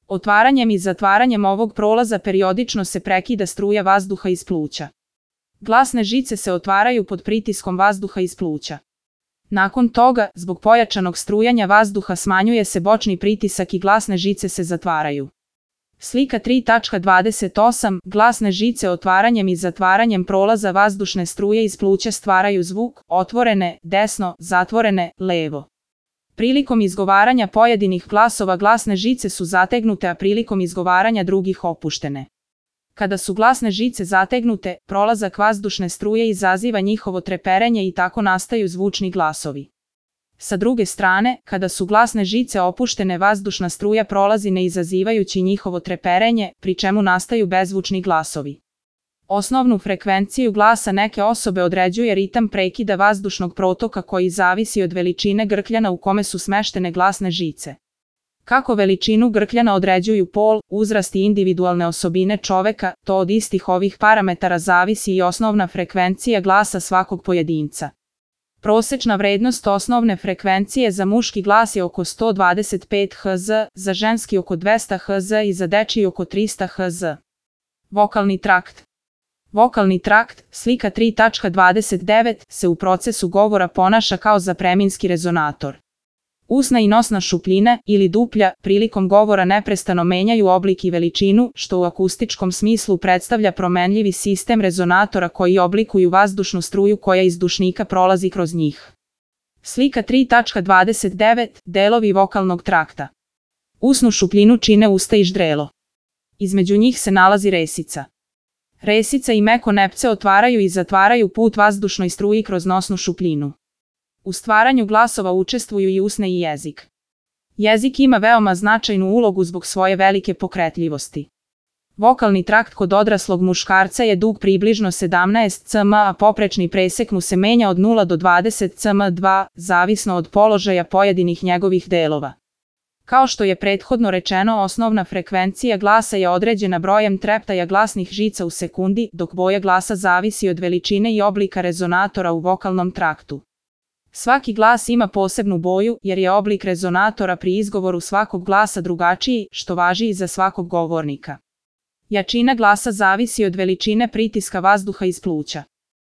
Otvaranjem i zatvaranjem ovog prolaza periodično se prekida struja vazduha iz pluća. Glasne žice se otvaraju pod pritiskom vazduha iz pluća. Nakon toga, zbog pojačanog strujanja vazduha smanjuje se bočni pritisak i glasne žice se zatvaraju. Slika 3.28. Glasne žice otvaranjem i zatvaranjem prolaza vazdušne struje iz pluća stvaraju zvuk, otvorene, desno, zatvorene, levo. Prilikom izgovaranja pojedinih glasova glasne žice su zategnute, a prilikom izgovaranja drugih opuštene. Kada su glasne žice zategnute, prolazak vazdušne struje izaziva njihovo treperenje i tako nastaju zvučni glasovi. Sa druge strane, kada su glasne žice opuštene, vazdušna struja prolazi ne izazivajući njihovo treperenje, pri čemu nastaju bezzvučni glasovi. Osnovnu frekvenciju glasa neke osobe određuje ritam prekida vazdušnog protoka koji zavisi od veličine grkljana u kome su smeštene glasne žice. Kako veličinu grkljana određuju pol, uzrast i individualne osobine čoveka, to od istih ovih parametara zavisi i osnovna frekvencija glasa svakog pojedinca. Prosečna vrednost osnovne frekvencije za muški glas je oko 125 Hz, za ženski oko 200 Hz i za dečiji oko 300 Hz. Vokalni trakt. Vokalni trakt, slika 3.29, se u procesu govora ponaša kao zapreminski rezonator. Usna i nosna šupljina, ili duplja, prilikom govora neprestano menjaju oblik i veličinu, što u akustičkom smislu predstavlja promenljivi sistem rezonatora koji oblikuju vazdušnu struju koja iz dušnika prolazi kroz njih. Slika 3.29, delovi vokalnog trakta. Usnu šupljinu čine usta i ždrelo. Između njih se nalazi resica. Resica i meko nepce otvaraju i zatvaraju put vazdušnoj struji kroz nosnu šupljinu. U stvaranju glasova učestvuju i usne i jezik. Jezik ima veoma značajnu ulogu zbog svoje velike pokretljivosti. Vokalni trakt kod odraslog muškarca je dug približno 17 cm, a poprečni presek mu se menja od 0 do 20 cm2, zavisno od položaja pojedinih njegovih delova. Kao što je prethodno rečeno, osnovna frekvencija glasa je određena brojem treptaja glasnih žica u sekundi, dok boja glasa zavisi od veličine i oblika rezonatora u vokalnom traktu. Svaki glas ima posebnu boju, jer je oblik rezonatora pri izgovoru svakog glasa drugačiji, što važi i za svakog govornika. Jačina glasa zavisi od veličine pritiska vazduha iz pluća.